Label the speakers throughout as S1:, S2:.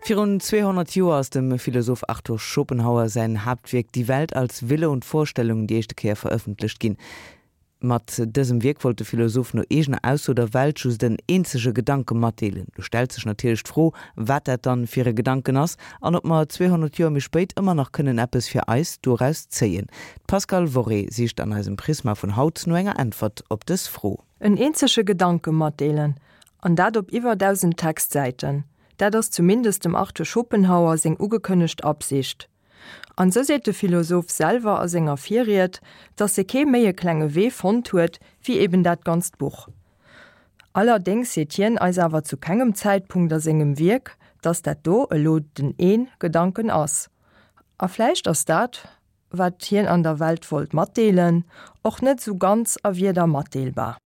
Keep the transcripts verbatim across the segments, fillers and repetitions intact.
S1: Virun zweehonnert Joer ass dem Philosoph Arthur Schopenhauer säin Haaptwierk Die Welt als Wille und Vorstellung déi éischte Kéier verëffentlecht ginn. Mat dësem Wierk wollt de Philosoph no eegener Ausso der Welt just en eenzege Gedanke matdeelen. Do stellt sech natierlech d'Fro, wat dat dann fir e Gedanken ass an ob mer zweehonnert Joer méi spéit ëmmer nach kënnen eppes fir eis doraus zéien. D'Pascale Worré sicht an eisem Prisma vun haut no enger Äntwert op dës Fro.
S2: En eenzege Gedanke matdeelen, an dat op iwwer dausend Textsäiten, dat ass zumindest dem Arthur Schopenhauer seng ugekënnegt Absicht. An sou seet de Philosoph selwer a senger Virried, dass e kee méi e klenge Wee fonnt huet, wéi eben dat ganzt Buch. Allerdéngs seet hien eis awer zu kengem Zäitpunkt a sengem Wierk, dass dat do elo den een Gedanken ass. A vläicht ass dat, wat hien an der Welt wollt matdeelen, och net sou ganz a Wierder matdeelbar.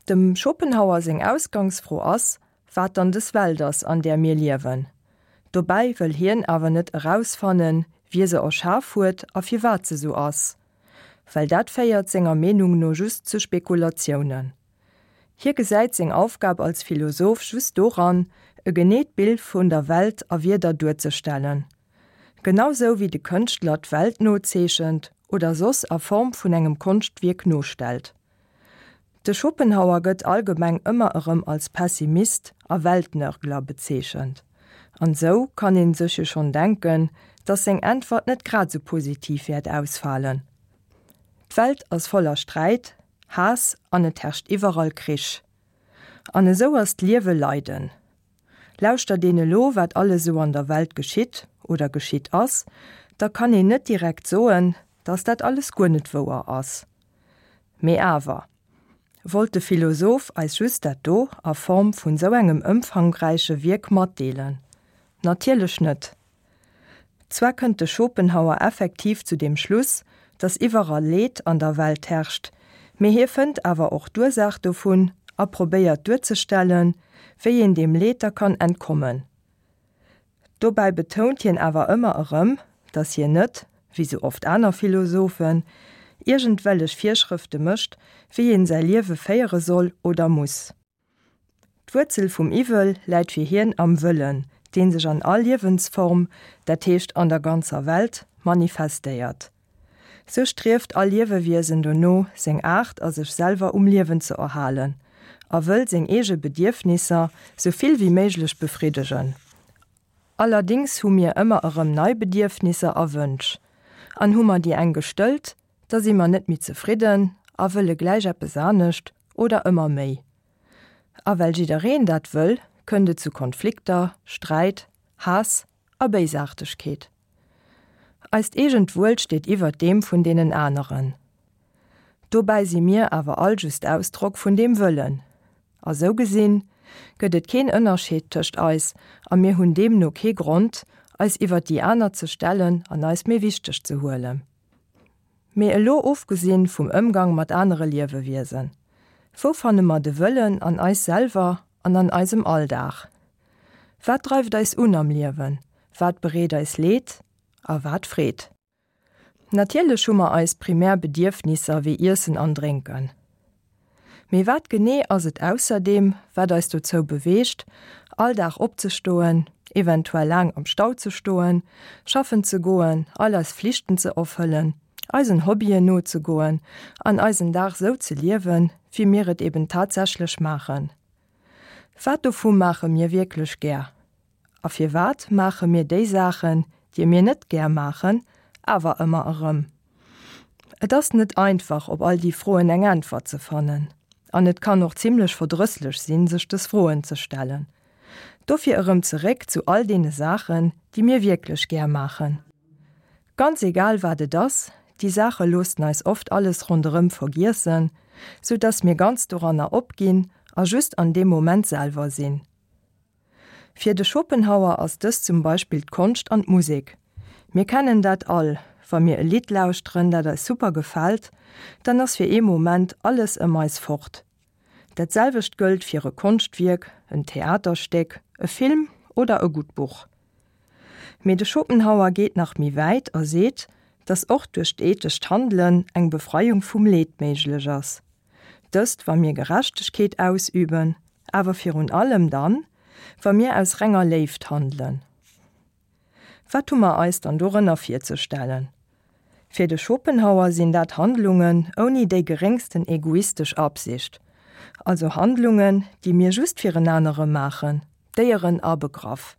S2: Dem Schopenhauer seng Ausgangsfro ass, wat dann dës Welt ass, an där mir liewen. Dobäi wëll hien awer net erausfannen, wie se erschaf huet a firwat se sou ass. Well dat féiert senger Meenung no just zu Spekulatiounen. Hie gesäit seng Aufgab als Philosoph just doran, e geneet Bild vun der Welt a Wierder duerzestellen. Genau sou wéi de Kënschtler d'Welt nozeechent oder soss a Form vun engem Konschtwierk nostellt. De Schopenhauer gëtt allgemeng ëmmer erëm als Pessimist a Weltnörgler bezeechent. An sou kann een sech jo schonn denken, dass seng Äntwert net grad sou positiv wäert ausfalen. D'Welt ass voller Sträit, Haass an et herrscht iwwerall Krich. An esou ass d'Liewe Leiden. Lauschtert een elo wat alles sou an der Welt geschitt oder geschitt ass, da kann een net direkt soen, dass dat alles guer net wouer ass. Mee awer, wollt de Philosoph eis just dat do a Form vun sou engem ëmfangräiche Wierk matdeelen? Natierlech net. Zwar kënnt de Schopenhauer effektiv zu deem Schluss, dass iwwerall Leed an der Welt herrscht, mee hie fënnt awer och d'Ursaach dovun a probéiert duerzestellen, wéi een deem Leed da kann entkommen. Dobäi betount hien awer ëmmer erëm, dass hien net, wéi sou oft aner Philosophen, iergendwellech Virschrëfte mécht, wéi een säi Liewe féiere soll oder muss. D'Wuerzel vum Iwwel läit fir hien am Wëllen, dee sech an all Liewensform, dat heescht an der ganzer Welt, manifestéiert. Sou strieft all Liewewiesen dono, seng Aart a sech selwer um Liewen ze erhalen a wëll seng eege Bedierfnisser sou vill wéi méiglech befriddegen. Allerdéngs hu mir ëmmer erëm nei Bedierfnisser a Wënsch. An hu mer déi eng gestëllt, da si mer net méi zefridden a wëlle gläich eppes anescht oder ëmmer méi. A well jiddereen dat wëll, kënnt et zu Konflikter, Sträit, Haass a Béisaartegkeet. Eist eegent Wuel steet iwwert deem vun deenen aneren. Dobäi si mir awer all just Ausdrock vun deem Wëllen. A sou gesinn, gëtt et keen Ënnerscheed tëscht eis a mir hunn deemno kee Grond, eis iwwert déi aner ze stellen an eis méi wichteg ze huelen. Mee elo ofgesinn vum Ëmgang mat anere Liewewiesen, wou fanne mer de Wëllen an eis selwer an an eisem Alldag? Wat dreift eis un am Liewen? Wat bereet eis Leed a wat Freed? Natierlech hu mer eis primär Bedierfnisser wéi Iessen an Drénken. Mee wat genee ass et ausserdeem, wat eis dozou beweegt, all Dag opzestoen, eventuell laang am Stau ze stoen, schaffen ze goen, all eis Flichten ze erfëllen, eisen Hobbyen nozegoen an eisen Dag sou ze liewen, wéi mir et eben tatsächlech maachen? Wat dovu maache mir wierklech gär? A firwat maache mir déi Saachen, déi mir net gär maachen, awer ëmmer erëm? Et ass net einfach, op all déi Froen eng Äntwert ze fannen. An et kann och zimlech verdrësslech sinn, sech dës Froen ze stellen. Dofir erëm zeréck zu all deene Saachen, déi mir wierklech gär maachen. Ganz egal wat et ass, déi Saache loossen eis oft alles ronderëm vergiessen, sou dass mir ganz doranner opginn a just an deem Moment selwer sinn. Fir de Schopenhauer ass dëst zum Beispill d'Konscht an d'Musek. Mir kennen dat all, wa mir e Lidd lauschteren, dat eis super gefält, dann ass fir ee Moment alles ëm eis fort. Dat selwecht gëllt fir e Konschtwierk, en Theaterstéck, e Film oder e gutt Buch. Mee de Schopenhauer geet nach méi wäit a seet, dass och duerch d'ethescht Handelen eng Befreiung vum Leed méiglech ass. Dëst wa mir Gerechtegkeet ausüben, awer virun allem dann, wa mir aus renger Léift handelen. Wat hu mer eis dann dorënner virzestellen? Fir de Schopenhauer sinn dat Handlungen ouni déi geréngsten egoistesch Absicht. Also Handlungen, déi mir just fir en anere maachen, Déieren abegraff.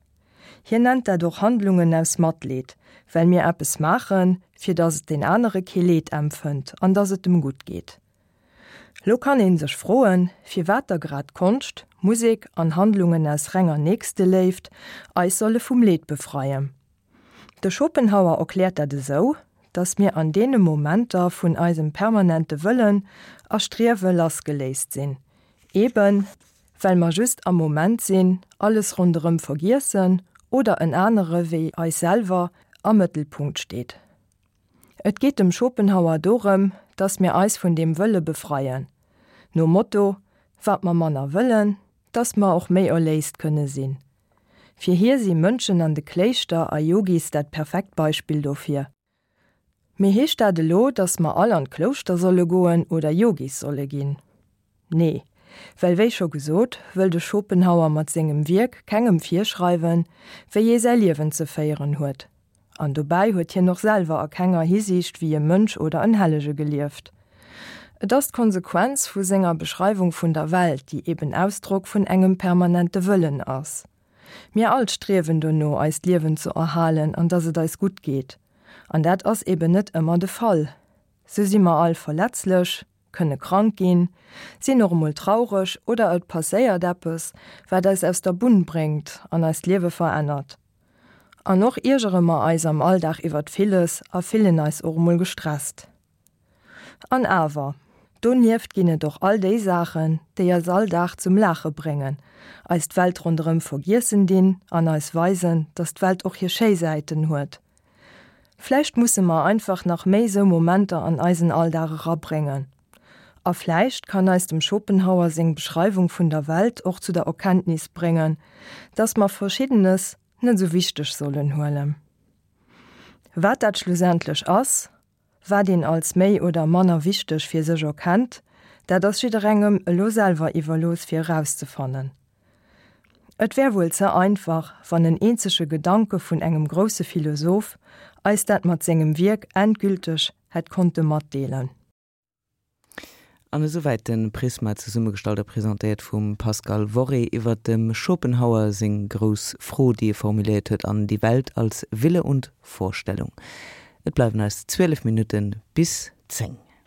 S2: Hien nennt dat och Handlungen aus Matleed, well mir eppes maachen, fir datt et deen anere kee Leed empfënnt an datt et em gutt geet. Lo kann ee sech froen, firwat da grad Konscht, Musek an Handlungen aus renger Nächsteléift eis solle vum Leed befreien. De Schopenhauer erkläert dat esou, datt mir an deene Momenter vun eisem permanente Wëllen a Striewe lassgeléist sinn, eben well mer just am Moment sinn, alles ronderëm vergiessen oder en anere wéi eis selwer am Mëttelpunkt steet. Et geet dem Schopenhauer dorëm, datt mir eis vun deem Wëlle befreien. Nom Motto, wat mer manner wëllen, datt mer och méi erléist kënne sinn. Fir hie si Mönchen an de Kléischter a Yogis dat perfekt Beispill dofir. Mee heescht dat elo, datt mer all an d'Klouschter solle goen oder Yogis solle ginn? Nee, well wéi scho gesot, wëll de Schopenhauer mat sengem Wierk kengem virschreiwen, wéi ee säi Liewen ze féieren huet. An dobäi huet hien och selwer a kenger Hisiicht wéi e Mönch oder en Hellege gelieft. Et ass d'Konsequenz vu senger Beschreiwung vun der Welt, déi eben Ausdrock vun engem permanente Wëllen ass. Mir all striewen dono, eist Liewen ze erhalen an dass et eis gutt geet. An dat ass eben net ëmmer de Fall. Sou si mer all verletzlech, kënne krank ginn, sinn och emol traureg oder et passéiert eppes, wat eis aus der Bunn bréngt an eist Liewe verännert. An och iergere mer eis am Alldag iwwert villes a fillen eis och emol gestresst. An awer, donieft ginn et och all déi Saachen, déi eis all Dag zum Laache bréngen, eis d'Welt ronderëm vergiessen dinn an eis weisen, dass d'Welt och hir schéi Säiten huet. Vläicht musse mer einfach nach méi sou Momenter an eisen Alldag erabréngen. A vläicht kann eis dem Schopenhauer seng Beschreiwung vun der Welt och zu der Erkenntnis bréngen, dass mer Verschiddenes net sou wichteg sollen huelen. Wat dat schlussendlech ass, wat een als méi oder manner wichteg fir sech erkennt, dat ass jidderengem elo selwer iwwerlooss fir erauszefannen. Et wär wuel ze einfach, wann en eenzege Gedanke vun engem grousse Philosoph eis dat mat sengem Wierk endgülteg hätt konnte matdeelen.
S1: An esouwäit de Prisma, zesummegestallt a presentéiert vum Pascal Worré, iwwer dem Schopenhauer seng grouss Fro, déi e formuléiert huet an Die Welt als Wille und Vorstellung. Et bleiwen eis zwielef Minutte bis zéng.